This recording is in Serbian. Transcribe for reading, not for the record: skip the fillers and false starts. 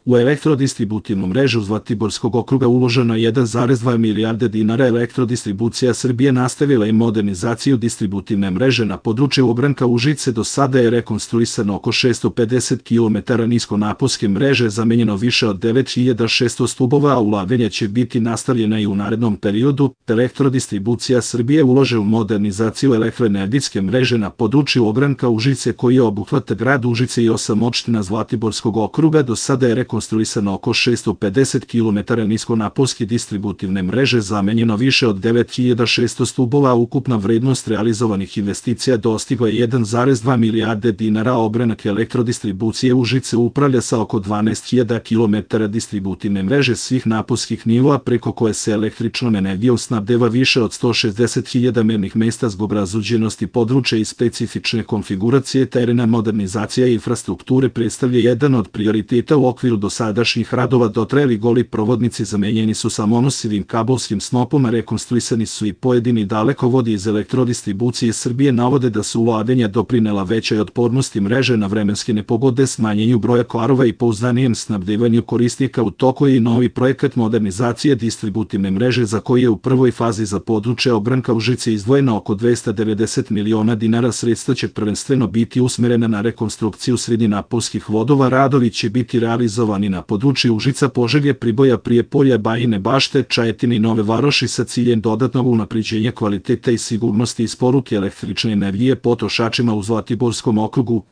U elektrodistributivnu mrežu Zlatiborskog okruga uloženo je 1,2 milijarde dinara. Elektrodistribucija Srbije nastavila je modernizaciju distributivne mreže na području ogranka Užice. Do sada je rekonstruisano oko 650 km niskonaponske mreže, zamenjeno više od 9600 stubova, a ulaganja će biti nastavljena i u narednom periodu. Elektrodistribucija Srbije ulaže u modernizaciju elektroenergetske mreže na području ogranka Užice, koji obuhvata grad Užice i 8 opština Zlatiborskog okruga. Do sada je rekonstruisano oko 650 km niskonaponske distributivne mreže, zamenjeno više od 9600 stubova, a ukupna vrednost realizovanih investicija dostigla je 1,2 milijarde dinara. Ogranak elektrodistribucije Užice upravlja sa oko 12.000 km distributivne mreže svih naponskih nivoa, preko koje se električnom energijom snabdeva više od 160.000 mernih mesta. Zbog razuđenosti područja i specifične konfiguracije terena, modernizacija infrastrukture predstavlja jedan od prioriteta. U okviru dosadašnjih radova dotrajali goli provodnici zamenjeni su sa monosivim kablovskim snopom, a rekonstruisani su i pojedini dalekovodi. Iz Elektrodistribucije Srbije navode da su ulaganja doprinela većoj otpornosti mreže na vremenske nepogode, smanjenju broja kvarova i pouzdanijem snabdevanju korisnika. U toku je i novi projekat modernizacije distributivne mreže, za koji je u prvoj fazi za područje ogranka Užice izdvojeno oko 290 miliona dinara. Sredstva će prvenstveno biti usmerena na rekonstrukciju srednjenaponskih vodova. Radovi će biti realizovani na području Užica, Požege, Priboja, Prijepolja, Bajine Bašte, Čajetine i Nove Varoši sa ciljem dodatnog unapređenja kvaliteta i sigurnosti isporuke električne energije potrošačima u Zlatiborskom okrugu.